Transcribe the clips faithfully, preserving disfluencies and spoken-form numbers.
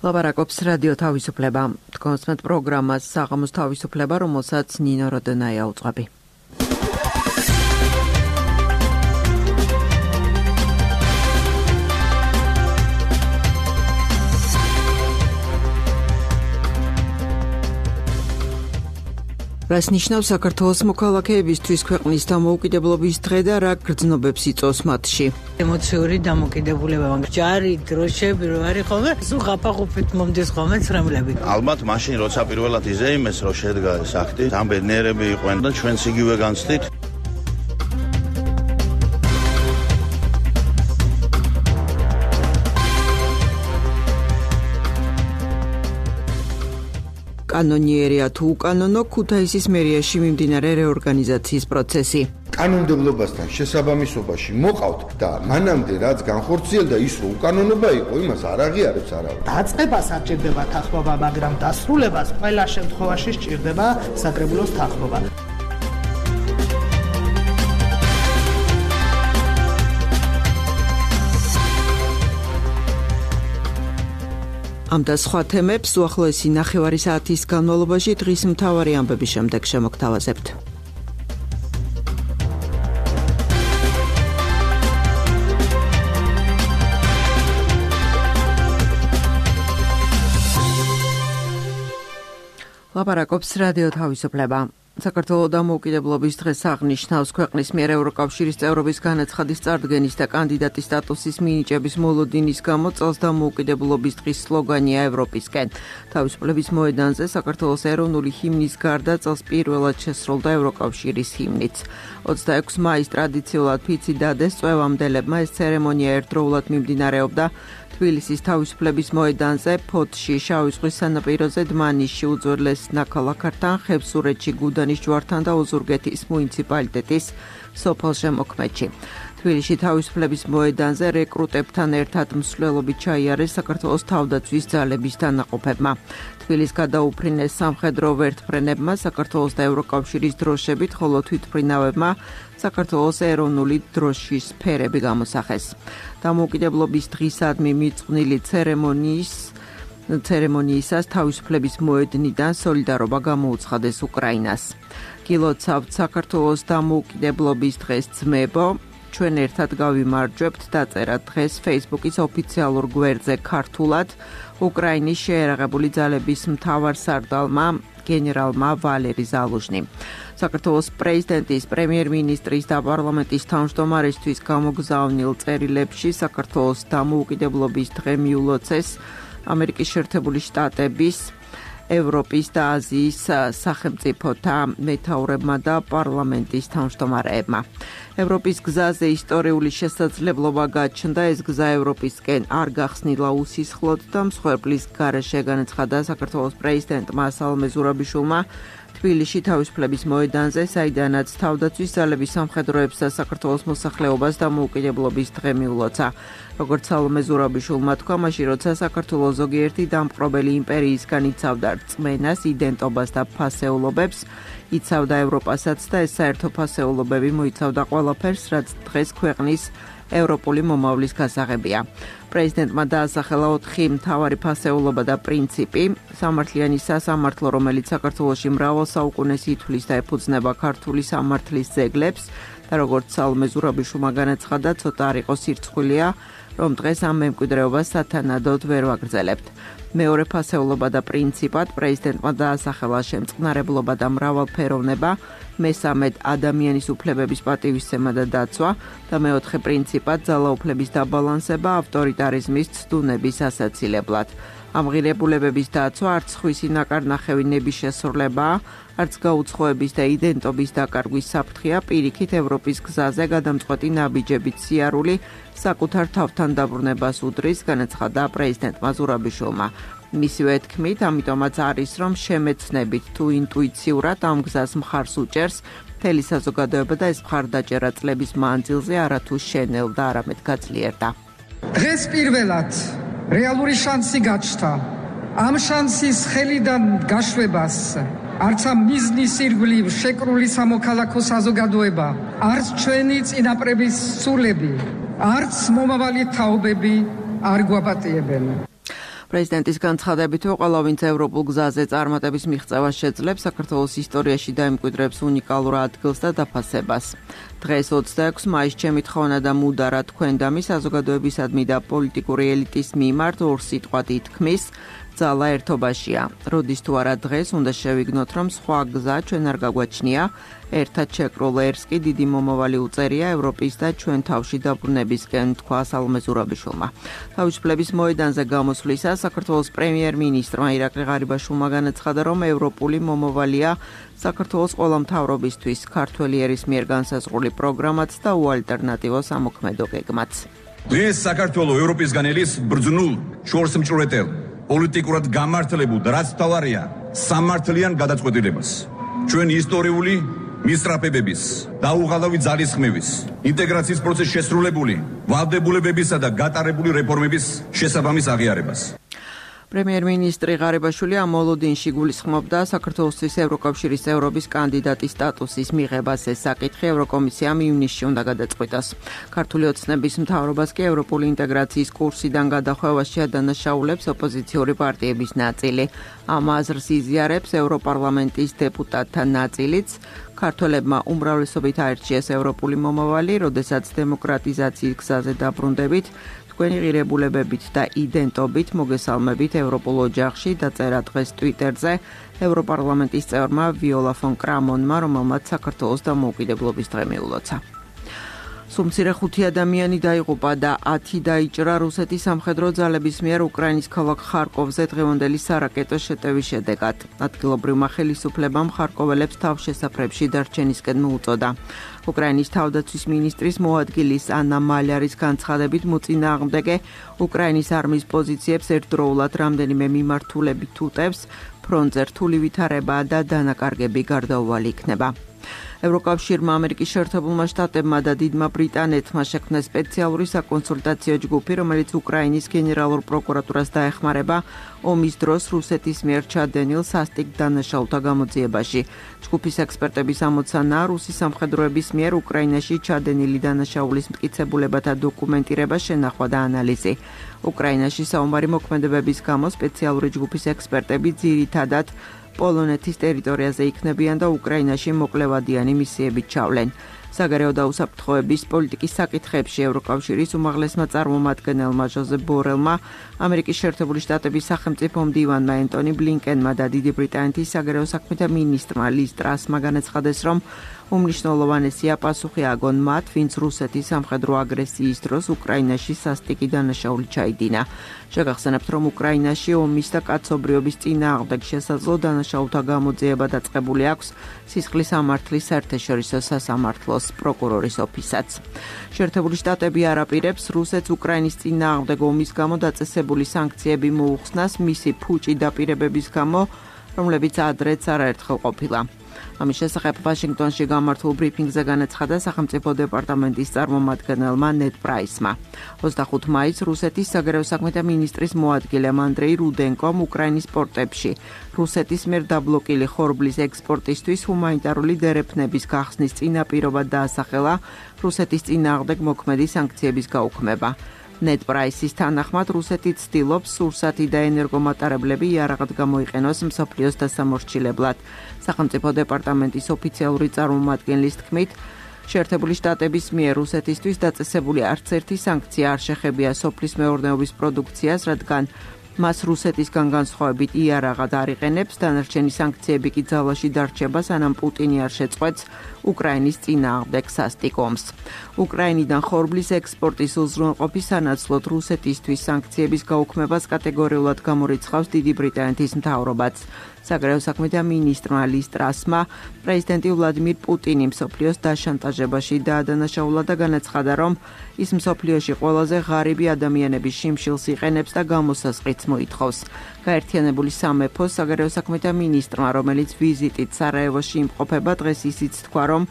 ლაპარაკობს რადიო თავისუფლება. თქვენს პროგრამას საღამოს თავისუფლება, რომელსაც ნინო როდონაია უძღვები. რას ნიშნავს საქართველოს მოქალაქეებისთვის ქვეყნის დამოუკიდებლობის დღე და რა გრძნობებს იწვევს მათში? ემოციური დამოკიდებულება, ჯარი, დროშები რო არის ხოლმე, სულ ხაფახუფით მომდის ხოლმე ცრემლები. ალბათ მაშინ როცა პირველად იზეიმეს რომ შედგა ეს აქტი, ამ ბედნიერები იყვნენ და ჩვენც იგივე განცდით. კანონიერია თუ უკანონო, ქუთაისის მერიაში მიმდინარე რეორგანიზაციის პროცესი. კანონმდებლობასთან შესაბამისობაში მოყავთ და მანამდე რაც განხორციელდა ის რომ უკანონობა იყო, იმას არ აღიარებს არავინ. დაწყებას არ ჭირდება თანხმობა, მაგრამ დასრულებას ყველა შემთხვევაში სჭირდება საკრებულოს თანხმობა. ამ და სხვა თემებს უახლოესი ნახევარი საათის განმავლობაში დღის მთავარი ამბების შემდეგ შემოგთავაზებთ. ლაპარაკობს რადიო თავისუფლება. საქართველოს დამოუკიდებლობის დღეს აღნიშნავს ქვეყნის მიერ ევროკავშირის წევრობის განაცხადის წარდგენის და კანდიდატის სტატუსის მინიჭების მოლოდინის გამო წელს დამოუკიდებლობის დღის სლოგანია ევროპისკენ. თავისუფლების მოედანზე საქართველოს ეროვნული ჰიმნის გარდა წელს პირველად შესრულდა ევროკავშირის ჰიმნიც. ოცდაექვსი მაის ტრადიციულად ფიცი დადეს წვევამდელებმა ეს ცერემონია ერთდროულად მიმდინარეობდა თბილისის თავისუფლების მოედანზე, ფოთში, შავი ზღვის სანაპიროზე, დმანისში, უძველეს ნაქალაქართან, ხევსურეთში, გუდანის ჯვართან და ოზურგეთის მუნიციპალიტეტის სოფელ-შემოქმედში. თბილისში თავისუფლების მოედანზე რეკრუტებთან ერთად მსვლელობით ჩაიარეს საქართველოს თავდაცვის ძალების დანაყოფებმა. თბილისს გადაუფრინეს სამხედრო ვერტმფრენებმა, საქართველოს და ევროკავშირის დროშებით, ხოლო თვითმფრინავებმა საქართველოს ეროვნული დროშის ფერები გამოსახეს. დამოუკიდებლობის დღისადმი მიწყვნილი ცერემონიის ცერემონიისას თავისუფლების მოედნიდან სოლიდარობა გამოუცხადეს უკრაინას. გილოცავთ საქართველოს დამოუკიდებლობის დღეს ძმებო, ჩვენ ერთად გავიმარჯვებთ დაწერა დღეს Facebook-ის ოფიციალურ გვერდზე ქართულად უკრაინის შეერაღებული ძალების მთავარსარდალმა გენერალმა ვალერი ზალუჟნი. საქართველოს პრეზიდენტის, პრემიერ-მინისტრის და პარლამენტის თავმჯდომარისთვის გამოგზავნილ წერილებში საქართველოს დამოუკიდებლობის დღე მიულოცეს ამერიკის შეერთებული შტატების, ევროპის და აზიის სახელმწიფოთა მეთაურებმა და პარლამენტის თავმჯდომარეებმა. ევროპის გზაზე ისტორიული შესაძლებლობა გაჩნდა, ეს გზა ევროპისკენ არ გახსნილა უსისხლოდ და მსხვერპლის გარეშე, განაცხადა საქართველოს პრეზიდენტმა სალომე ზურაბიშვილმა თბილისში თავისუფლების მოედანზე, საიდანაც თავდაცვის ძალების სამხედროებს და საქართველოს მოსახლეობას დამოუკიდებლობის დღე მიულოცა. როგორც სალომე ზურაბიშვილმა თქვა, მაშინ როცა საქართველოს ზოგიერთი დამპყრობელი იმპერიისგან იცავდა რწმენას, იდენტობას და ფასეულობებს, იცავდა ევროპასაც და ეს საერთო ფასეულობები მოიცავდა ყველაფერს, რაც დღეს ქვეყნის ევროპული მომავლის გასაღებია. პრეზიდენტმა დაასახელა ოთხი მთავარი ფასეულობა და პრინციპი, სამართლიანი სასამართლო, რომელიც საქართველოში მრავალ საუკუნეს ითვლის და ეფუძნება ქართული სამართლის ძეგლებს და როგორც სალომე ზურაბიშვილმა განაცხადა, ცოტა არ იყო სირცხვილია, რომ დღეს ამ მემკვიდრეობას სათანადოდ ვერ ვაგრძელებთ. მეორე ფასეულობა და პრინციპად პრეზიდენტმა დაასახელა შემწყნარებლობა და მრავალფეროვნება, მესამედ ადამიანის უფლებების პატივისცემა და დაცვა და მეოთხე პრინციპად ძალაუფლების დაბალანსება ავტორიტარიზმის ცდუნების ასაცილებლად. ამ ღირებულებების დაცვა არც სხვისი ნაკარნახევი ნების შესრულებაა, არც გაუცხოების და იდენტობის დაკარგვის საფრთხეა, პირიქით ევროპის გზაზე გადამწყვეტი ნაბიჯებით სიარული საკუთარ თავთან დაბრუნებას უდრის, განაცხადა პრეზიდენტმა ზურაბიშვილმა. მისივე თქმით, ამიტომაც არის, რომ შემეცნებით თუ ინტუიციურად ამ გზას მხარს უჭერს მთელი საზოგადოება და ეს მხარდაჭერა წლების მანძილზე არათუ შენელდა, არამედ გაძლიერდა. დღეს პირველად რეალური შანსი გაჩნდა. ამ შანსის ხელიდან გაშვებას არც ამ მიზნის ირგვლივ შეკრული სამოქალაქო საზოგადოება, არც ჩვენი წინაპრების სულები, არც მომავალი თაობები არ გვაპატიებენ. პრეზიდენტის განცხადებით, ყველა ვინც ევროპულ გზაზე წარმატების მიღწევას შეძლებს, საქართველოს ისტორიაში დაიმკვიდრებს უნიკალურ ადგილს და დაფასებას. დღეს ოცდაექვსი მაისს ჩემი თხოვნა და მუდარა თქვენდამი საზოგადოებისადმი და პოლიტიკური ელიტის მიმართ ორ სიტყვად ითქმის, ძალა ერთობაშია. როდის თუ არა დღეს უნდა შევიგნოთ, რომ სხვა გზა ჩვენ არ გაგვაჩნია, ერთად შეკრულ ერს კი დიდი მომავალი უწერია ევროპის და ჩვენ თავში დაბრუნებისკენ, თქვა სალომე ზურაბიშვილმა. თავისუფლების მოედანზე გამოსვლისას საქართველოს პრემიერ-მინისტრმა ირაკლი ღარიბაშვილმა განაცხადა, რომ ევროპული მომავალია საქართველოს ყველა მთავრობისთვის, ქართველი ერის მიერ განსაზღვრული პროგრამაც და უალტერნატივო სამოქმედო გეგმაც. დღეს საქართველოს ევროპისგან ელის ბრძნულ შორს მჭვრეტელ პოლიტიკურად გამართლებულ და რაც მთავარია სამართლიან გადაწყვეტილებას. ჩვენი ისტორიული მისწრაფებების, დაუღალავი ძალისხმევის, ინტეგრაციის პროცესში შესრულებული ვალდებულებებისა და გატარებული რეფორმების შესაბამის აღიარებას. პრემიერ-მინისტრი ღარიბაშვილი ამ მოლოდინში გულისხმობდა საქართველოსთვის ევროკავშირის წევრობის კანდიდატის სტატუსის მიღებას. ეს საკითხი ევროკომისიამ ივნისში უნდა გადაწყვიტოს. ქართული ოცნების მთავრობას კი ევროპული ინტეგრაციის კურსიდან გადახვევაში ადანაშაულებს ოპოზიციური პარტიების ნაწილი. ამ აზრს იზიარებს ევროპარლამენტის დეპუტატთა ნაწილიც. ქართველებმა უმრავლესობით აირჩიეს ევროპული მომავალი, როდესაც დემოკრატიზაციის გზაზე დაბრუნდებით, თქვენი ღირებულებებით და იდენტობით მოგესალმებით ევროპულ ოჯახში, დაწერა დღეს ტვიტერზე ევროპარლამენტის წევრმა ვიოლა ფონ კრამონმა, რომელმაც საქართველოს დამოუკიდებლობის დღე მიულოცა. სუმცირე ხუთი ადამიანი დაიღუპა და ათი დაიჭრა რუსეთის სამხედრო ძალების მიერ უკრაინის ქალაქ ხარკოვზე დღევანდელი სარაკეტო შეტევის შედეგად. ადგილობრივმა ხელისუფლებამ ხარკოველებს თავშესაფრებში დარჩენისკენ მოუწოდა. უკრაინის თავდაცვის მინისტრის მოადგილის ანა მალარის განცხადებით მოწინააღმდეგე უკრაინის არმიის პოზიციებს ერთდროულად რამდენიმე მიმართულებით უტევს, ფრონტზე რთული ვითარება და დანაკარგები გარდაუვალი იქნება. ევროკავშირმა, ამერიკის შეერთებულმა შტატებმა და დიდმა ბრიტანეთმა შექმნეს სპეციალური საკონსულტაციო ჯგუფი, რომელიც უკრაინის გენერალურ პროკურატურას დაეხმარება ომის დროს რუსეთის მიერ ჩადენილ სასტიკ დანაშაულთა გამოძიებაში. ჯგუფის ექსპერტების ამოცანაა რუსის სამხედროების მიერ უკრაინაში ჩადენილი დანაშაულის მტკიცებულებათა დოკუმენტირება, შენახვა და ანალიზი. უკრაინაში საომარი მოქმედებების გამო სპეციალური ჯგუფის ექსპერტები ძირითადად პოლონეთის ტერიტორიაზე იქნებიან და უკრაინაში მოკლევადიანი მისიებით ჩავლენ. საგარეო და უსაფრთხოების პოლიტიკის საკითხებში ევროკავშირის უმაღლესმა წარმომადგენელმა ჟოზეფ ბორელმა, ამერიკის შეერთებული შტატების სახელმწიფო მდივანმა ენტონი ბლინკენმა და დიდი ბრიტანეთის საგარეო საქმეთა მინისტრმა ლის ტრასმა განაცხადეს, რომ უმნიშვნელოვანესია პასუხი აგონ მათ, ვინც რუსეთის სამხედრო აგრესიის დროს უკრაინაში სასტიკი დანაშაული ჩაიდინა. შეგახსენებთ, რომ უკრაინაში ომის და კაცობრიობის წინააღმდეგ შესაძლო დანაშაულთა გამოძიება დაწყებული აქვს სისხლის სამართლის საერთაშორისო სასამართლოს პროკურორის ოფისაც. შეერთებული შტატები არ აპირებს რუსეთს უკრაინის წინააღმდეგ ომის გამო დაწესებული სანქციები მოუხსნას მისი ფუჭი დაპირებების გამო, რომლებიც ადრეც არაერთხელ ყოფილა. ამის შესახებ ვაშინგტონში გამართულ ბრიფინგზე განაცხადა სახელმწიფო დეპარტამენტის წარმომადგენელმა ნედ პრაისმა. ოცდახუთი მაისს რუსეთის საგარეო საქმეთა მინისტრის მოადგილემ ანდრეი რუდენკომ უკრაინის პორტებში რუსეთის მიერ დაბლოკილი ხორბლის ექსპორტისთვის ჰუმანიტარული დერეფნების გახსნის წინაპირობად დაასახელა რუსეთის წინააღმდეგ მოქმედი სანქციების გაუქმება. ნედ პრაისის თანახმად რუსეთი ცდილობს სურსათი და ენერგომატარებლები იარაღად გამოიყენოს მსოფლიოს დასამორჩილებლად. სახელმწიფო დეპარტამენტის ოფიციალური წარმომადგენლის თქმით, შეერთებული შტატების მიერ რუსეთისთვის დაწესებული არც ერთი სანქცია არ შეხებია სოფლის მეურნეობის პროდუქციას, რადგან მას რუსეთისგან განსხვავებით იარაღად არ იყენებს, დანარჩენი სანქციები კი ძალაში დარჩება, სანამ პუტინი არ შეწყვეტს უკრაინის წინააღმდეგ სასტიკ ომს. უკრაინიდან ხორბლის ექსპორტის უზრუნველყოფის სანაცვლოდ რუსეთისთვის სანქციების გაუქმებას კატეგორიულად გამორიცხავს დიდი ბრიტანეთის მთავრობაც. საგარეო საქმეთა მინისტრმა ლის ტრასმა პრეზიდენტი ვლადიმირ პუტინი მსოფლიოს დაშანტაჟებაში დაადანაშაულა და განაცხადა, რომ ის მსოფლიოში ყველაზე ღარიბი ადამიანების შიმშილს იყენებს და გამოსასყიდს მოითხოვს. გაერთიანებული სამეფოს საგარეო საქმეთა მინისტრმა, რომელიც ვიზიტით სარაევოში იმყოფება, დღეს ისიც თქვა, რომ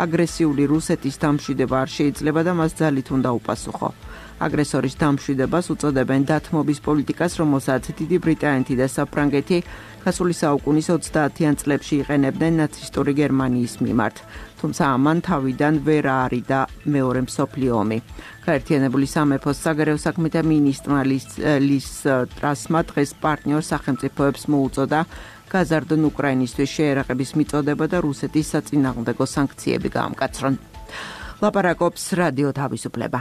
აგრესიული რუსეთის დამშვიდება არ შეიძლება და მას ძალით უნდა უპასუხო. აგრესორის დამშვიდებას უწოდებენ დათმობის პოლიტიკას, რომელსაც დიდი ბრიტანეთი და საფრანგეთი გასული საუკუნის ოცდაათიან წლებში იყენებდნენ ნაცისტური გერმანიის მიმართ. თუმცა ამან თავიდან ვერ აარიდა მეორე მსოფლიო ომი. გაერთიანებული სამეფოს საგარეო საქმეთა მინისტრმა ლის ტრასმა დღეს პარტნიორ სახელმწიფოებს მოუწოდა გაზარდონ უკრაინისთვის შეერაღების მიწოდება და რუსეთის საწინააღმდეგო სანქციები გაამკაცრონ. ლაპარაკობს რადიო თავისუფლება.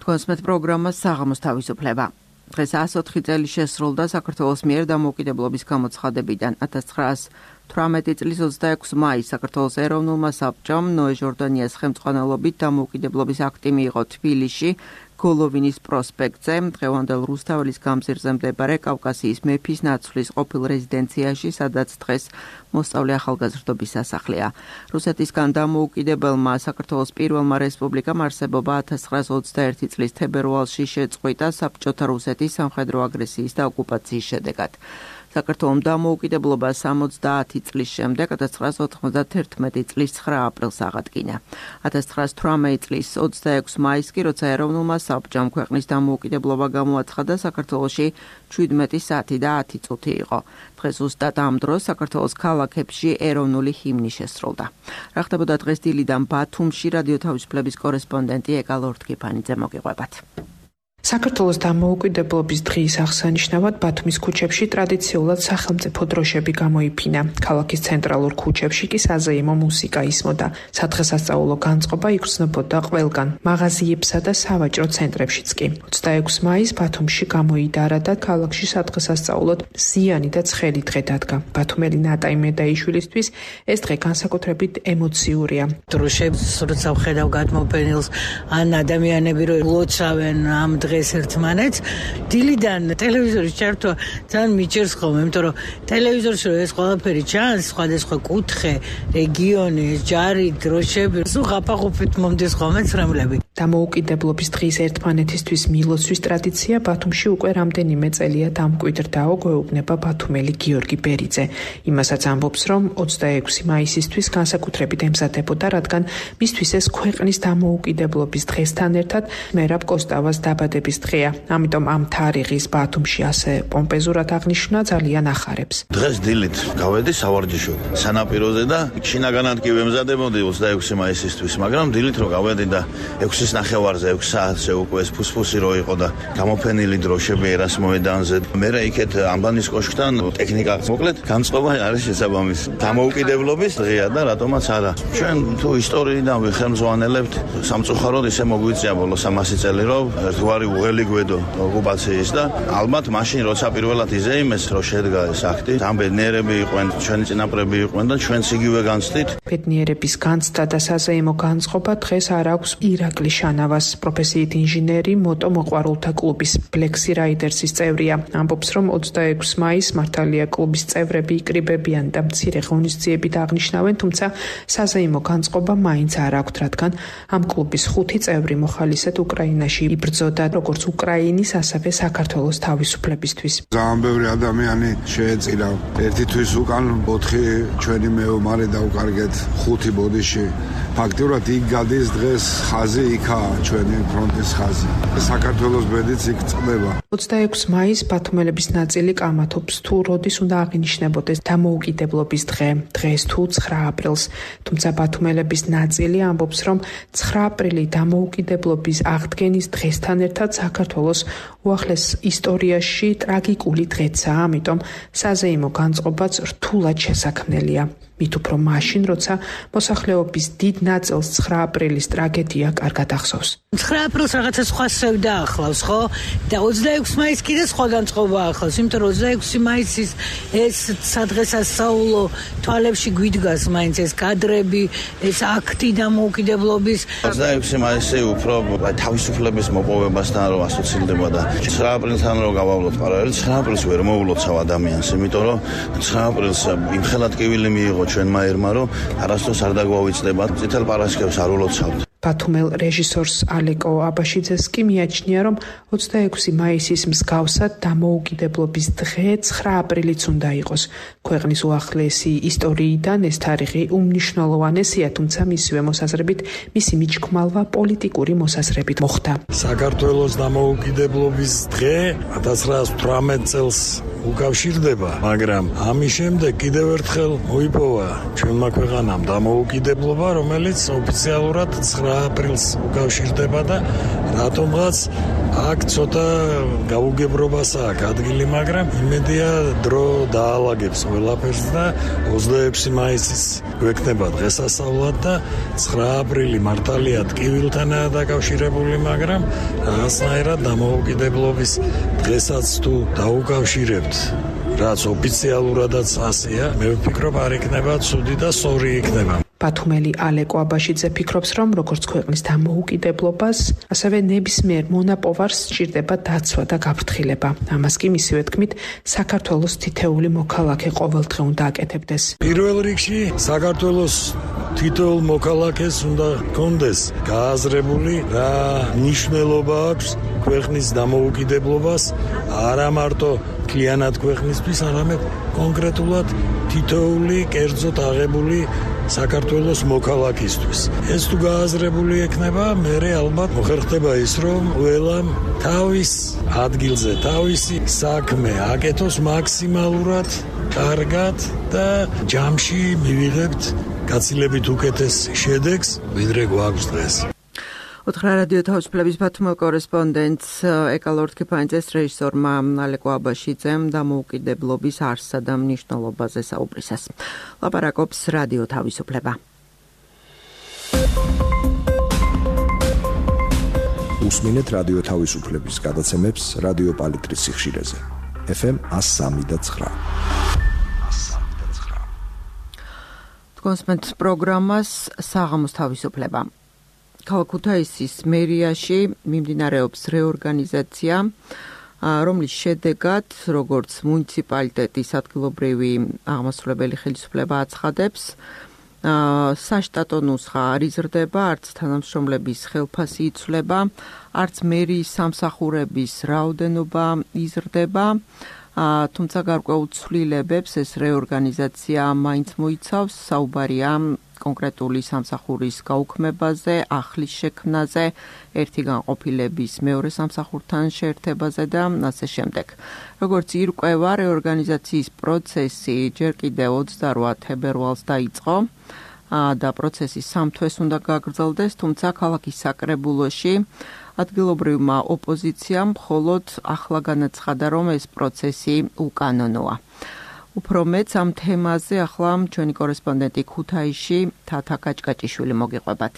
კონსმეთ პროგრამა საღამოს თავისუფლება. დღეს ასი ოთხი წელი შესრულდა საქართველოს მიერ დამოუკიდებლობის გამოცხადებიდან. ათას ცხრაასი თვრამეტი წლის ოცდაექვსი მაისს საქართველოს ეროვნულმა საბჭომ ნოე ჟორდანიას ხელმძღვანელობით დამოუკიდებლობის აქტი მიიღო თბილისში, გოლოვინის პროსპექტზე, დღევანდელ რუსთაველის გამზირზე მდებარე კავკასიის მეფის ნაცვლის ყოფილ რეზიდენციაში, სადაც დღეს მოსწავლე ახალგაზრდობის სასახლეა. რუსეთისგან დამოუკიდებელმა საქართველოს პირველმა რესპუბლიკამ არსებობა ათას ცხრაასი ოცდაერთი წლის თებერვალში შეწყვიტა საბჭოთა რუსეთის სამხედრო აგრესიის და ოკუპაციის შედეგად. საქართველოს დამოუკიდებლობა სამოცდაათი წლის შემდეგ ათას ცხრაასი ოთხმოცდათერთმეტი წლის ცხრა აპრილს აღადგინა. ათას ცხრაასი თვრამეტი წლის ოცდაექვსი მაისს კი, როცა ეროვნულმა საბჭომ ქვეყნის დამოუკიდებლობა გამოაცხადა, საქართველოში შვიდმეტი საათი და ათი წუთი იყო. დღეს ზუსტად ამ დროს საქართველოს ქალაქებში ეროვნული ჰიმნი შესრულდა. რა ხდებოდა დღეს დილიდან ბათუმში, რადიო თავისუფლების კორესპონდენტი ეკა ლორთქიფანიძე მოგიყვებათ. საქართველოს დამოუკიდებლობის დღის აღსანიშნავად ბათუმის ქუჩებში ტრადიციულად სახელმწიფო დროშები გამოიფინა. ქალაქის ცენტრალურ ქუჩებში კი საზეიმო მუსიკა ისმოდა. სადღესასწაულო განწყობა იგრძნობოდა ყველგან, მაღაზიებსა და სავაჭრო ცენტრებშიც კი. ოცდაექვსი მაისს ბათუმში გამოიდარა და ქალაქში სადღესასწაულოდ ზიანი და ცხელი დღე დადგა. ბათუმელი ნატაი მედაიშვილისთვის ეს დღე განსაკუთრებით ემოციურია. დროშებს როცა ვხედავ გადმოფენილს, ან ადამიანები რო ლოცავენ ამ დღეს ერთმანეთს, დილიდან ტელევიზორის ჩართვა ძალიან მიჭერს ხოლმე, იმიტომ რომ ტელევიზორში ეს ყველაფერი ჩანს, სხვადასხვა კუთხე, რეგიონი, ჯარი, დროშები, სულ ღაფაღუფით მომდის ხოლმე ცრემლები. დამოუკიდებლობის დღის ერთმანეთისთვის მილოცვის ტრადიცია ბათუმში უკვე რამდენიმე წელია დამკვიდრდაო, გვეუბნება ბათუმელი გიორგი ბერიძე. იმასაც ამბობს, რომ ოცდაექვსი მაისისთვის განსაკუთრებით ემზადებოდა, რადგან მისთვის ეს ქვეყნის დამოუკიდებლობის დღესთან ერთად მერაბ კოსტავას დაბადების დღეა. ამიტომ ამ თარიღის ბათუმში ასე პომპეზურად აღნიშნა ძალიან ახარებს. დღეს დილით გავედი სავარჯიშოდ სანაპიროზე და შინაგანად კი ვემზადებოდი ოცდაექვსი მაისისთვის, მაგრამ დილით რო გავედი და ექვსის ნახევარზე ექვსი საათზე უკვე ეს ფუსფუსი რო იყო და გამოფენილი დროშები ერას მოედანზე. მერე იქეთ ამბანის კოშკთან ტექნიკა მოკლედ განწყობა არის შესაბამისი. დამოუკიდებლობის დღეა და რატომაც არა. ჩვენ თუ ისტორიიდან ვიხელმძღვანელებთ, სამწუხაროდ ისე მოგვიწია ბოლოს ამასი წელი რომ ერთგვარი უღელი გვედო ოკუპაციის და ალბათ მაშინ როცა პირველად იზეიმეს რომ შედგა ეს აქტი, ამ ბედნიერები იყვენ, ჩვენი წინაპრები იყვენ და ჩვენც იგივე განცდით. ბედნიერების განცდა და საზეიმო განწყობა დღეს არ აქვს ირაკლი შანავას, პროფესიით ინჟინერი, მოტო მოყვარულთა კლუბის Black Riders-ის წევრია. ამბობს, რომ ოცდაექვსი მაისს მართალია კლუბის წევრები იკრიბებიან და მცირე ღონისძიებით აღნიშნავენ, თუმცა საზეიმო განწყობა მაინც არ აქვთ, რადგან ამ კლუბის ხუთი წევრი მოხალისედ უკრაინაში იბრძოდა, როგორც უკრაინის, ასევე საქართველოს თავისუფლებისთვის. ძალიან ბევრი ადამიანი შეეწირა ერთი თვის უკან ოთხი ჩვენი მეომარი დაუკარგეთ ხუთი ბოდიში. ფაქტიურად იქ გადის დღეს ხაზი, იქაა ჩვენი ფრონტის ხაზი. საქართველოს ბედიც იქ წდება. ოცდაექვსი მაისს ბათუმელების ნაწილი კამათობს თუ როდის უნდა აღინიშნებოდეს დამოუკიდებლობის დღე, დღეს თუ ცხრა აპრილს. თუმცა ბათუმელების ნაწილი ამბობს, რომ ცხრა აპრილი დამოუკიდებლობის აღდგენის დღესთან ერთად საქართველოს უახლეს ისტორიაში ტრაგიკული დღეცაა, ამიტომ საზეიმო განწყობაც რთულად შესაქმნელია. მით უფრო მაშინ, როცა მოსახლეობის დიდ ნაწილს ცხრა აპრილის ტრაგედია კარგად ახსოვს. ცხრა აპრილს რაღაცა სხვა სევდა ახლავს, ხო? და ოცდაექვსი მაისს კიდე სხვა განწყობა ახლავს, იმიტომ რომ ოცდაექვსი მაისის ეს სადღესასწაულო თვალებში გვიდგას მაინც ეს კადრები, ეს აქტი დამოუკიდებლობის. ოცდაექვსი მაისი უფრო თავისუფლების მოპოვებასთან რომ ასოცირდება და ცხრა აპრილთან რომ გავავლოთ პარალელი, ცხრა აპრილს ვერ მოულოცავ ადამიანს, იმიტომ რომ ცხრა აპრილს იმხელად კივილი მიიღო ჩვენმა ერმა, რომ არასდროს არ დაგვავიწყდება, წითელ პარასკევს არ ულოცავთ. ბათუმელ რეჟისორს ალეკო აბაშიძეს კი მიაჩნია, რომ ოცდაექვსი მაისის მსგავსად დამოუკიდებლობის დღე ცხრა აპრილიც უნდა იყოს. ქვეყნის უახლესი ისტორიიდან ეს თარიღი უმნიშვნელოვანესია, თუმცა მისივე მოსაზრებით მისი მიჩქმალვა პოლიტიკური მოსაზრებით მოხდა. საქართველოს დამოუკიდებლობის დღე ათას ცხრაას თვრამეტ წელს უკავშირდება, მაგრამ ამის შემდეგ კიდევ ერთხელ მოიპოვა ჩვენმა ქვეყანამ დამოუკიდებლობა, რომელიც ოფიციალურად ცხრა აპრილს უკავშირდება და რატომღაც აქ ცოტა გაუგებრობას აქვს ადგილი, მაგრამ იმედია დრო დაალაგებს ყველაფერს და ოცდაექვსი მაისის გვექნება დღესასწაულად და ცხრა აპრილი მართალია ტკივილთანაა დაკავშირებული, მაგრამ რაღაცნაირად დამოუკიდებლობის დღესაც თუ დაუკავშირებთ, რაც ოფიციალურადაც ასეა, მე ვფიქრობ არ იქნება ცუდი და სწორი იქნება. ბათუმელი ალეკო აბაშიძე ფიქრობს, რომ როგორც ქვეყნის დამოუკიდებლობას, ასევე ნებისმიერ მონაპოვარს სჭირდება დაცვა და გაფრთხილება. ამას კი მისივე თქმით, საქართველოს თითეული მოქალაქე ყოველდღე უნდა აკეთებდეს. პირველ რიგში საქართველოს თითოეულ მოქალაქეს უნდა კონდეს გააზრებული რა მნიშვნელობა აქვს ქვეყნის დამოუკიდებლობას, არა მარტო მთლიანად ქვეყნისთვის, არამედ კონკრეტულად თითოეული კერძოდ აღებული საქართველოს მოქალაქისთვის. ეს თუ გააზრებული ექნება, მერე ალბათ მოხერხდება ის, რომ ყველამ თავის ადგილზე თავისი საქმე აკეთოს მაქსიმალურად კარგად და ჯამში მივიღებთ გაცილებით უკეთეს შედეგს, ვიდრე გვაქვს დღეს. უთხრა რადიო თავისუფლების ბათუმელ კორესპონდენტს ეკალორდ კიფანიძეს რეჟისორმა ალეკო აბაშიძემ დამოუკიდებლობის არსსა და მნიშვნელობაზე საუბრისას. ლაპარაკობს რადიო თავისუფლება. უსმინეთ რადიო თავისუფლების გადაცემებს რადიო პალიტრის სიხშირეზე. ეფ ემ ას სამი და ცხრა. თქვენს პროგრამას საღამოს თავისუფლება. ქალაქ ქუთაისის მერიაში მიმდინარეობს რეორგანიზაცია, რომლის შედეგად, როგორც მუნიციპალიტეტის ადგილობრივი აღმასრულებელი ხელისუფლება აცხადებს, საშტატო ნუსხა არ იზრდება, არც თანამშრომლების ხელფასი იცვლება, არც მერიის სამსახურების რაოდენობა იზრდება, თუმცა გარკვეულ ცვლილებებს ეს რეორგანიზაცია მაინც მოიცავს, საუბარია კონკრეტული სამსახურის გაუქმებაზე, ახლის შექმნაზე, ერთი განყოფილების მეორე სამსახურთან შეერთებაზე და ასე შემდეგ. როგორც ირკვევა, რეორგანიზაციის პროცესი ჯერ კიდევ ოცდარვა თებერვალს დაიწყო და პროცესი სამ თვეს უნდა გაგრძელდეს, თუმცა ქალაქის საკრებულოში ადგილობრივმა ოპოზიციამ მხოლოდ ახლა განაცხადა, რომ ეს პროცესი უკანონოა. უფრო მეც ამ თემაზე ახლა ჩვენი კორესპონდენტი ქუთაისში თათა კაჭკაჭიშვილი მოგიყვებათ.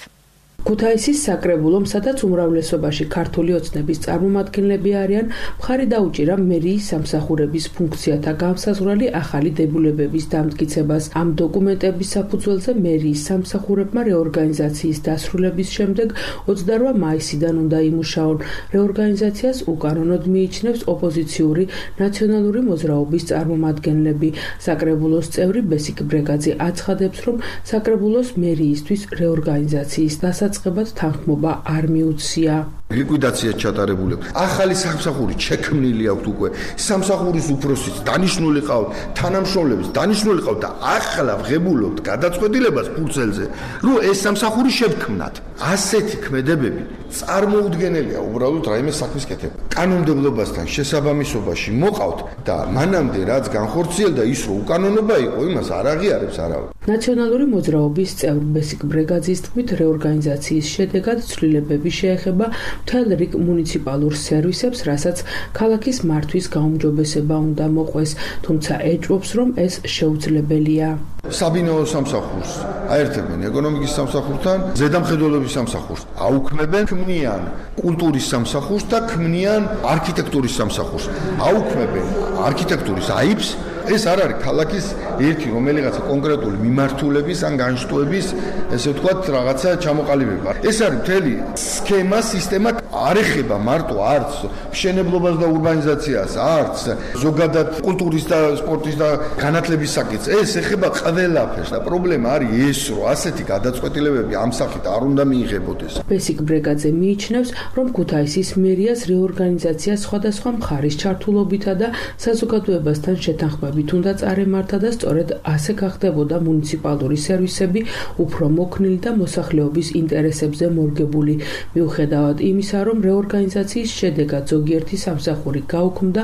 ქუთაისის საკრებულომ, სადაც უმრავლესობაში ქართული ოცნების წარმომადგენლები არიან, მხარი დაუჭირა მერიის სამსახურების ფუნქციათა განსაზღვრელი ახალი დებულებების დამტკიცებას. ამ დოკუმენტების საფუძველზე მერიის სამსახურებმა რეორგანიზაციის დასრულების შემდეგ ოცდარვა მაისიდან უნდა იმუშაონ. რეორგანიზაციას უკანონოდ მიიჩნევს ოპოზიციური ნაციონალური მოძრაობის წარმომადგენლები. საკრებულოს წევრი ბესიკ ბრეგაძე აცხადებს, რომ საკრებულოს მერიისთვის რეორგანიზაციის დასაწყებად თანხმობა არ მიუცია. ლიკვიდაცია ჩატარებული. ახალი სამსახური შექმნილი აქვს უკვე. სამსახურის უფროსიც დანიშნული ყავთ, თანამშრომლების დანიშნული ყავთ და ახლა ვღებულობთ გადაწყვეტილებას ფურცელზე, რომ ეს სამსახური შევქმნათ. ასეთი ქმედებები წარმოუდგენელია უბრალოდ რაიმე საქმის კეთება. კანონმდებლობასთან შესაბამისობაში მოყავთ და მანამდე რაც განხორციელდა ის რომ უკანონობა იყო, იმას არ აღიარებს არავინ. ნაციონალური მოძრაობის წევრ ბესიკ ბრეგაძის თქმით, რეორგანიზაციის შედეგად ცვლილებები შეეხება მთელ რიგ მუნიციპალურ სერვისებს, რასაც ქალაქის მართვის გაუმჯობესება უნდა მოყვეს, თუმცა ეჭვობს, რომ ეს შეუძლებელია. საბინაო სამსახურს აერთებენ ეკონომიკის სამსახურთან, ზედამხედველობის სამსახურს, აუქმებენ, ქმნიან კულტურის სამსახურს და ქმნიან არქიტექტურის სამსახურს. აუქმებენ არქიტექტურის აიფს, ეს არ არის ქალაქის ერთი რომელიღაცა კონკრეტული მიმართულების ან განშტოების, ესე ვთქვათ, რაღაცა ჩამოყალიბება. ეს არის მთელი სქემა, სისტემა არ ეხება მარტო არც მშენებლობას და урბანიზაციას, არც ზოგადად კულტურის და სპორტის და განათლების საკითხს. ეს ეხება ყველაფერს და პრობლემა არის ეს, რომ ასეთი გადაწყვეტილებები ამ სახით არ უნდა მიიღებოდეს. ბესიკ ბრეგაძე მიიჩნევს, რომ ქუთაისის მერიას რეორგანიზაცია სხვადასხვა მხარის ჩართულობითა და საზოგადოებასთან შეთანხმებით უნდა წარემართა და სწორედ ასე გახდებოდა მუნიციპალური სერვისები უფრო მოქნილი და მოსახლეობის ინტერესებზე მორგებული. მიუხედავად იმისა, რომ რეორგანიზაციის შედეგად ზოგიერთი სამსახური გაუქმდა,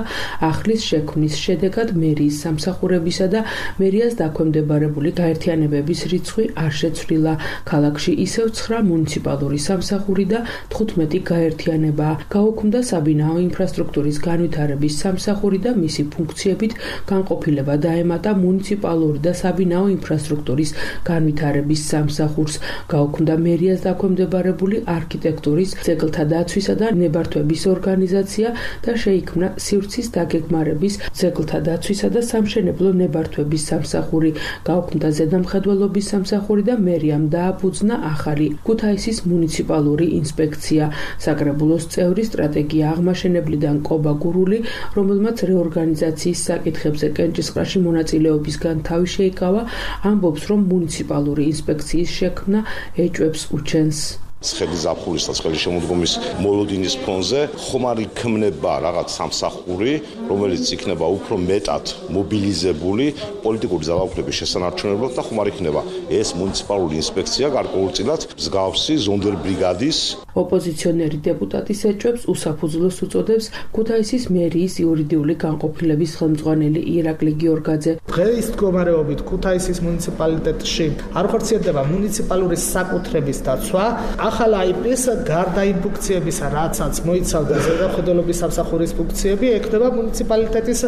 ახლის შექმნის შედეგად მერიის სამსახურებისა და მერიას დაქვემდებარებული გაერთიანებების რიცხვი არ შეცვლილა. ქალაქში ისევ ცხრა მუნიციპალური სამსახური და თხუთმეტი გაერთიანება. გაუქმდა საბინაო ინფრასტრუქტურის განვითარების სამსახური და მისი ფუნქციებით განყოფილება დაემატა მუნიციპალური და საბინაო ინფრასტრუქტურის განვითარების სამსახურს. გაუქმდა მერიას დაქვემდებარებული არქიტექტურის, ძეგლთა დაცვისა და ნებართვების ორგანიზაცია და შეიქმნა სივრცის დაგეგმარების, ძეგლთა დაცვისა და სამშენებლო ნებართვების სამსახური. გაუქმდა ზედამხედველობის სამსახური და მერიამ დააფუძნა ახალი ქუთაისის მუნიციპალური ინსპექცია. საკრებულოს წევრი სტრატეგია აღმაშენებლიდან კობა გურული, რომელმაც რეორგანიზაციის საკითხებზე კენჭისყრაში მონაწილეობისგან თავი შეიკავა, ამბობს, რომ მუნიციპალური ინსპექციის შექმნა ეჭვებს უჩენს. ცხელი ზაფხულის და ცხელი შემოდგომის მოლოდინის ფონზე ხომ არ იქმნება რაღაც სამსახური, რომელიც იქნება უფრო მეტად მობილიზებული პოლიტიკური ძალაუფლების შესანარჩუნებლად და ხომ არ იქნება ეს მუნიციპალური ინსპექცია გარკვეულწილად მსგავსი ზონდერბრიგადის. ოპოზიციონერი დეპუტატის ეჭვებს უსაფუძვლოს უწოდებს ქუთაისის მერიის იურიდიული განყოფილების ხელმძღვანელი ირაკლი გიორგაძე. დღეს მდგომარეობით ქუთაისის მუნიციპალიტეტში არ ხორციელდება მუნიციპალური საკუთრების დაცვა. ახალ აიპის გარდა იმ ფუნქციებისა, რაცაც მოიცავდა ზედამხედველობის სამსახურის ფუნქციები, ექნება მუნიციპალიტეტის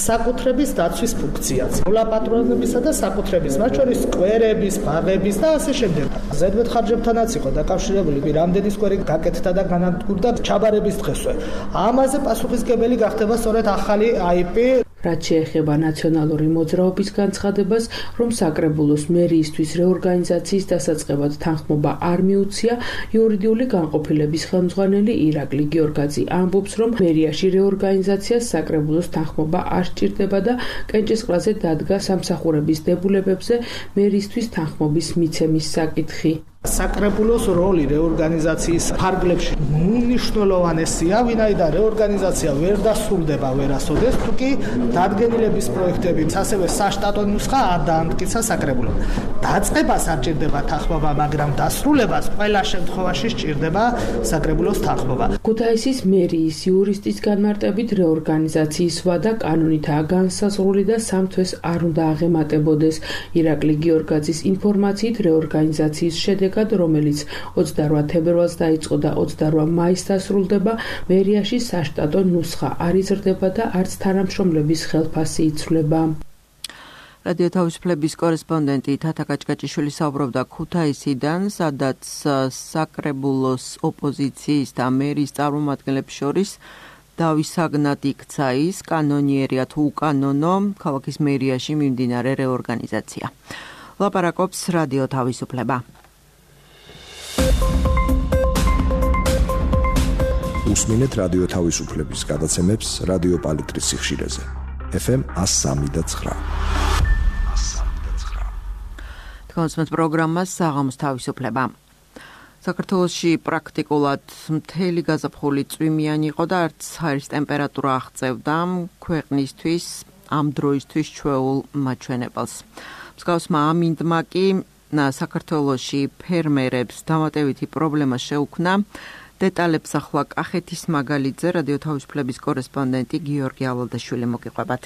საკუთრების დაცვის ფუნქციაც. მოლაპატრონებისა და საკუთრების, მათ შორის სკვერების, ბაღების და ასე შემდეგ. ზედმეტ ხარჯებთანაც იყო დაკავშირებული რამდენი სკვერი გაკეთდა და განადგურდა ჩაბარების დღესვე. ამაზე პასუხისმგებელი გახდება სწორედ ახალი აიპი. რაც შეეხება ნაციონალური მოძრაობის განცხადებას, რომ საკრებულოს მერიისთვის რეორგანიზაციის დასაწყებად თანხმობა არ მიუცია, იურიდიული განყოფილების ხელმძღვანელი ირაკლი გიორგაძე ამბობს, რომ მერიაში რეორგანიზაციას საკრებულოს თანხმობა არ სჭირდება და კენჭისყრაზე დადგა სამსახურების დებულებებზე მერისთვის თანხმობის მიცემის საკითხი. საკრებულოს როლი რეორგანიზაციის ფარგლებში უნიშნულოვანესია, ვინაიდან რეორგანიზაცია ვერ დასრულდება ვერასოდეს, თუკი დადგენილების პროექტები, ასევე საშტატო ნუსხა არ დაამტკიცა საკრებულომ. დაწყებას არ ჭირდება თანხმობა, მაგრამ დასრულებას ყველა შემთხვევაში სჭირდება საკრებულოს თანხმობა. ქუთაისის მერიის იურისტის განმარტებით რეორგანიზაციის ვადა კანონითაა განსაზღვრული და სამ თვეს არ უნდა აღემატებოდეს. ირაკლი გიორგაძის ინფორმაციით რეორგანიზაციის შედეგად, რომელიც ოცდარვა თებერვალს დაიწყო და ოცდარვა მაისს დასრულდება, მერიაში საშტატო ნუსხა არ იზრდება და არც თანამშრომლების ხელფასი იცვლება. რადიო თავისუფლების კორესპონდენტი თათა კაჭკაჭიშვილი საუბრობდა ქუთაისიდან, სადაც საკრებულოს ოპოზიციის და მერის წარმომადგენლებს შორის დავის საგნად იქცა ის კანონიერია თუ უკანონო ქალაქის მერიაში მიმდინარე რეორგანიზაცია. ლაპარაკობს რადიო თავისუფლება. უსმინეთ რადიო თავისუფლების გადაცემებს რადიო პალიტრის სიხშირეზე. ეფ ემ one oh three point nine. თქვენს პროგრამას საღამოს თავისუფლება. საქართველოში პრაქტიკულად მთელი გაზაფხული წვიმიანი იყო და არც ჰაერის ტემპერატურა აღწევდა ქვეყნისთვის ამ დროისთვის ჩვეულ მაჩვენებელს. მსგავსმა ამინდმა კი საქართველოში ფერმერებს დამატებითი პრობლემა შეუქმნა. დეტალებს ახლა კახეთის მაგალითზე რადიო თავისუფლების კორესპონდენტი გიორგი ავალდაშვილი მოგიყვებათ.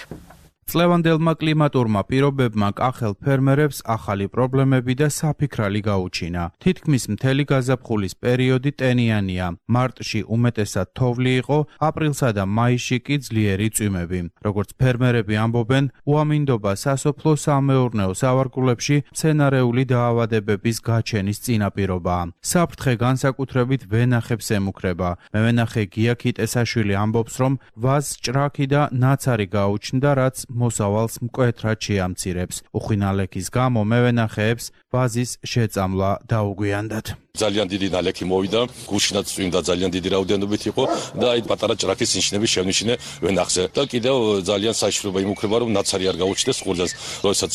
წლევანდელმა კლიმატურმა პირობებმა კახელ ფერმერებს ახალი პრობლემები და საფიქრალი გაუჩინა. თითქმის მთელი გაზაფხულის პერიოდი ტენიანია. მარტში უმეტესად თოვლი იყო, აპრილსა და მაისში კი ძლიერი წვიმები. როგორც ფერმერები ამბობენ, უამინდობა სასოფლო-სამეურნეო სავარგულებში მცენარეული დაავადებების გაჩენის წინაპირობაა. საფრთხე განსაკუთრებით ვენახებს ემუქრება. მევენახე გია ქიტესაშვილი ამბობს, რომ ვაზს ჭრაქი და ნაცარი გაუჩნდა, რაც მოსავალს მკვეთრად შეამცირებს. უხინალექის გამო მევენახეებს ვაზის შეწამლა დაუგვიანდათ. ძალიან დიდი ნალექი მოვიდა, გუშინაც წვიმდა ძალიან დიდი რაოდენობით იყო და აი პატარა ჭრაქის ნიშნები შევნიშნე ვენახზე. და კიდევ ძალიან საშიშროება იმუქრება, რომ ნაცარი არ გაუჩნდეს ყურძენს, როდესაც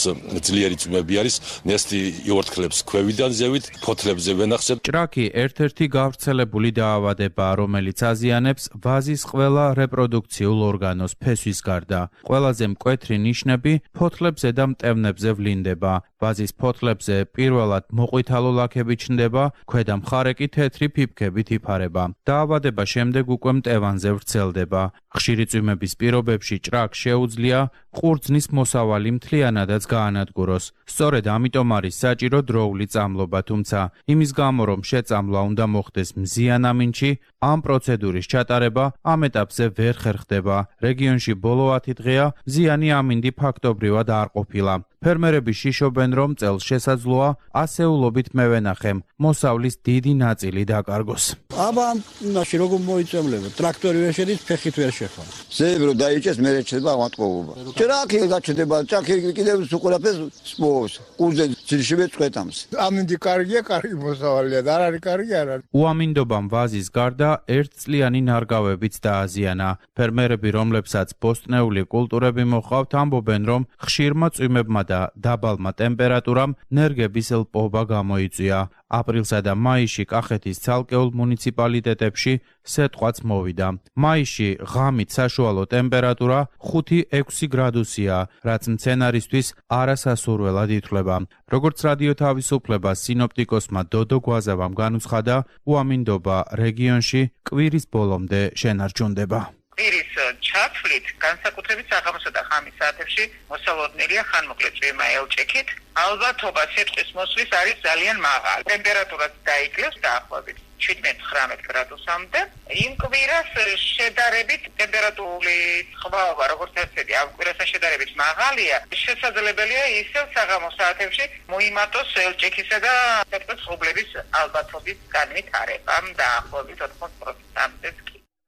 ძლიერი წვიმები არის, ნესტი იორთქლებს ქვევიდან ზევით, ფოთლებზე ვენახზე. ჭრაქი ერთ-ერთი გავრცელებული დაავადებაა, რომელიც აზიანებს ვაზის ყველა რეპროდუქციულ ორგანოს ფესვის გარდა. ყველაზე მკვეთრი ნიშნები ფოთლებზე და მტევნებზე ვლინდება. ვაზის ფოთლებზე პირველად მოყვითალო ლაქები ჩნდება, ქვედა მხარე კი თეთრი ფიფქებით იფარება. დაავადება შემდეგ უკვე მტევანზე ვრცელდება. ხშირი წვიმების პირობებში ჭრაქს შეუძლია ყურძნის მოსავალი მთლიანადაც გაანადგუროს. სწორედ ამიტომ არის საჭირო დროული წამლობა, თუმცა იმის გამო, რომ შეწამლა უნდა მოხდეს მზიან ამინდში, ამ პროცედურის ჩატარება ამ ეტაპზე ვერ ხერხდება. რეგიონში ბოლო ათი დღეა მზიანი ამინდი ფაქტობრივად არ ყოფილა. ფერმერები შიშობენ, რომ წელს შესაძლოა ასეულობით მევენახემ მოსავლის დიდი ნაწილი დაკარგოს. აბა ამ ნაში როგორ მოიწევლებო? ტრაქტორი ვერ შედის, ფეხით ვერ შეხვა. ზეები რომ დაიჭეს, მე რჩება ავატყობა. ჭრაქი გაჩნდება, ჭრაქი კიდევ უყურაფეს სპორს. ყურძენ ძილში მეწყვეტამს. ამინდი კარგია, კარგი მოსავალია და არ არის კარგი არ არის. უამინდობამ ვაზის გარდა ერთწლიანი ნარგავებიც დააზიანა. ფერმერები, რომლებსაც ბოსტნეული კულტურები მოჰყავთ, ამბობენ, რომ ხშირმა წვიმებმა და დაბალმა ტემპერატურამ ნერგების ლპობა გამოიწვია. აპრილსა და მაისში კახეთის ცალკეულ მუნიციპალიტეტებში სეტყვაც მოვიდა. მაისში ღამით საშუალო ტემპერატურა ხუთი ექვსი გრადუსია, რაც მცენარისთვის არასასურველად ითვლება. როგორც რადიო თავისუფლებას სინოპტიკოსმა დოდო გვაზავამ განუცხადა, უამინდობა რეგიონში კვირის ბოლომდე შენარჩუნდება. კვირის ჩათვლით განსაკუთრებით საღამოსა და ხამის საათებში მოსალოდნელია ხანმოკლე წვიმა ელჭექით. ალბათობა სიტყვის მოსვლის არის ძალიან მაღალი. ტემპერატურაც დაიკლებს დაახლოებით შვიდმეტ ხრამეტ გრადუსამდე. იმ კვირას შედარებით ტემპერატურული სხვაობა, როგორც ასეთი, ამ კვირასთან შედარებით მაღალია. შესაძლებელია ისევ საღამოს საათებში მოიმატოს ელჭექისა და სიტყვის ღრუბლების ალბათობის განვითარება დაახლოებით ოთხმოცდაოთხ პროცენტამდე.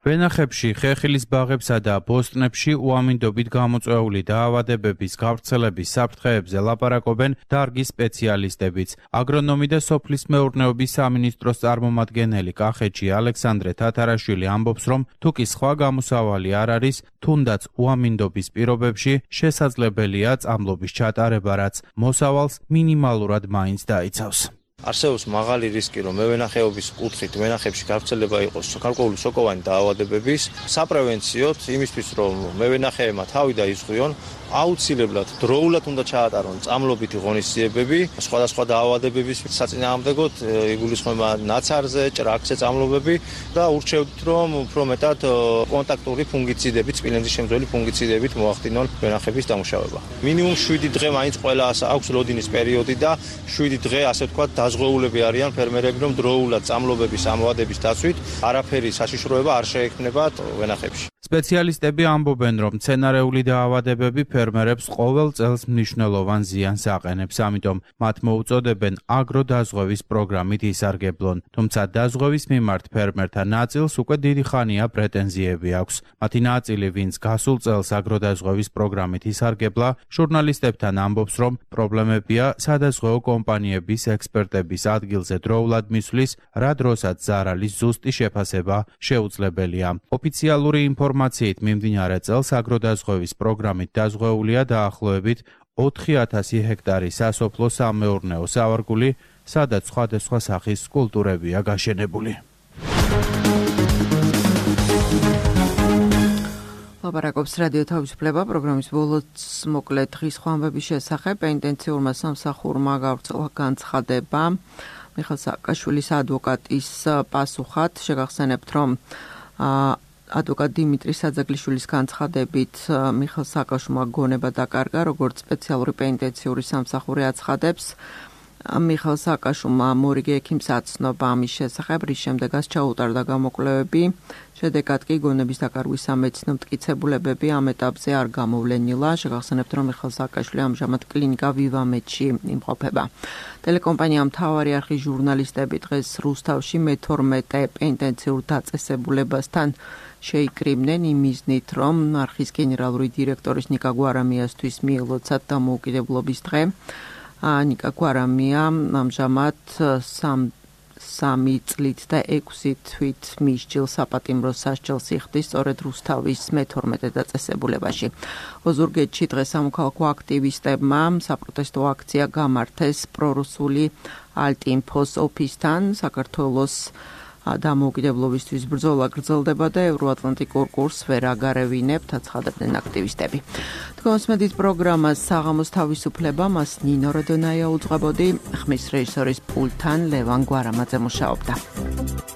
ვენახებში, ხეხილის ბაღებსა და ბოსტნებში უამინდობით გამოწვეული დაავადებების გავრცელების საფრთხეებზე ლაპარაკობენ დარგის სპეციალისტებიც. აგრონომი და სოფლის მეურნეობის სამინისტროს წარმომადგენელი კახეთში ალექსანდრე თათარაშვილი ამბობს, რომ თუკი სხვა გამოსავალი არ არის, თუნდაც უამინდობის პირობებში შესაძლებელია წამლობის ჩატარება, რაც მოსავალს მინიმალურად მაინც დაიცავს. არსებობს მაღალი რისკი, რომ მევენახეობის კუთხით ვენახებში გავრცელება იყოს გარკვეული სოკოვანი დაავადებების. საპრევენციოდ იმისთვის, რომ მევენახეებმა თავი დაიზღვიონ, აუცილებლად დროულად უნდა ჩაატარონ წამლობითი ღონისძიებები, სხვადასხვა დაავადებების საწინააღმდეგოდ იგულისხმება ნაცარზე, ჭრაქზე წამლობები და ურჩევთ, რომ უფრო მეტად კონტაქტური ფუნგიციდებით, სპილენძის შემცველი ფუნგიციდებით მოახდინონ ვენახების დამუშავება. მინიმუმ შვიდი დღე მაინც ყველას აქვს ლოდინის პერიოდი და შვიდი დღე ასე ვთქვათ დაზღვეულები არიან ფერმერები, რომ დროულად წამლობების ამოვადების დაცვით არაფერი საშიშროება არ შეექმნებათ ვენახებში. სპეციალისტები ამბობენ, რომ მცენარეული დაავადებები ფერმერებს ყოველ წელს მნიშვნელოვან ზიანს აყენებს, ამიტომ მათ მოუწოდებენ აგროდაზღვევის პროგრამით ისარგებლონ. თუმცა დაზღვევის მიმართ ფერმერთა ნაწილს უკვე დიდი ხანია პრეტენზიები აქვს. მათი ნაწილი, ვინც გასულ წელს აგროდაზღვევის პროგრამით ისარგებლა, ჟურნალისტებთან ამბობს, რომ პრობლემებია სადაზღვეო კომპანიების ექსპერტების ადგილზე დროულად მისვლის, რა დროსაც ზარალის ზუსტი შეფასება შეუძლებელია. ოფიციალური ინფორმაციით მიმდინარე წელს აგროდაზღვევის პროგრამით დაზღვეულია დაახლოებით ოთხი ათასი ჰექტარი სასოფლო სამეურნეო სავარგული, სადაც სხვადასხვა სახის კულტურებია გაშენებული. ლაპარაკობს რადიო თავისუფლება პროგრამის ბოლოს მოკლე დღის ხვამბების შესახებ. ინტენსიურმა სამსახურმა გავრცელა განცხადება მიხეილ სააკაშვილის ადვოკატის პასუხად. შეგახსენებთ, რომ ადვოკატ დიმიტრი საძაგლიშვილის განცხადებით მიხეილ სააკაშვილმა გონება დაკარგა, როგორც სპეციალური პენიტენციური სამსახური აცხადებს. მიხეილ სააკაშვილმა მორიგე ექიმს აცნობა ამის შესახებ, რის შემდეგაც ჩაუტარდა გამოკვლევები. შედეგად კი გონების დაკარგვის სამედიცინო მტკიცებულებები ამ ეტაპზე არ გამოვლენილა. შეგახსენებთ, რომ მიხეილ სააკაშვილი ამჟამად კლინიკა ვივამედში იმყოფება. ტელეკომპანია მთავარი არხის ჟურნალისტები დღეს რუსთავში მეთორმეტე პენტენციურ დაწესებულებასთან შეიკრიბნენ იმ მიზნით, რომ არხის გენერალური დირექტორის ნიკა გვარამიასთვის მიელოცათ დამოუკიდებლობის დღე. ნიკა გვარამია ამჟამად სამი წლით და ექვსი თვით მისჯილ საპატიმრო სასჯელს იხდის სწორედ რუსთავის მეთორმეტე დაწესებულებაში. ოზურგეთში დღეს სამოქალაქო აქტივისტებმა საპროტესტო აქცია გამართეს პრორუსული ალტინფოს ოფისთან. საქართველოს დამოუკიდებლობისთვის ბრძოლა გრძელდება და ევროატლანტიკურ კურსს ვერ აგარევინებთ, აცხადებდნენ აქტივისტები. თქვენს მედიის პროგრამას საღამოს თავისუფლება, მას ნინო როდონაია უძღვებოდი, ხმის რეჟისორის პულტთან ლევან გვარამაძე მუშაობდა.